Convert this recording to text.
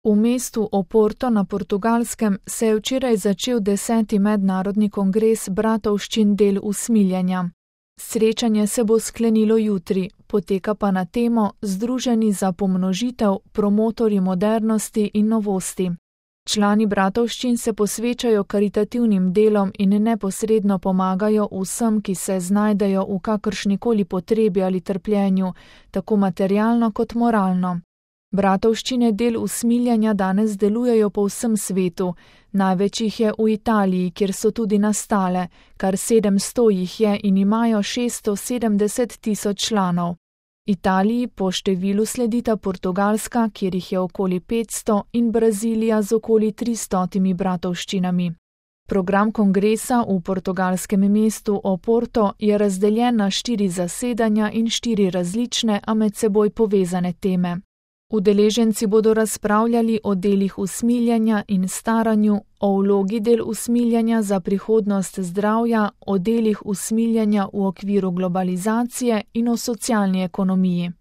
V mestu Oporto na Portugalskem se je včeraj začel 10. mednarodni kongres bratovščin del usmiljenja. Srečanje se bo sklenilo jutri, poteka pa na temo Združeni za pomnožitev, promotorji modernosti in novosti. Člani bratovščin se posvečajo karitativnim delom in neposredno pomagajo vsem, ki se znajdejo v kakršnikoli potrebi ali trpljenju, tako materialno kot moralno. Bratovščine del usmiljenja danes delujejo po vsem svetu, največ jih je v Italiji, kjer so tudi nastale, kar 700 jih je in imajo 670.000 članov. Italiji po številu sledita Portugalska, kjer jih je okoli 500, in Brazilija z okoli 300 bratovščinami. Program kongresa v portugalskem mestu Oporto je razdeljen na 4 zasedanja in 4 različne, a med seboj povezane teme. Udeleženci bodo razpravljali o delih usmiljenja in staranju, o vlogi del usmiljenja za prihodnost zdravja, o delih usmiljenja v okviru globalizacije in o socialni ekonomiji.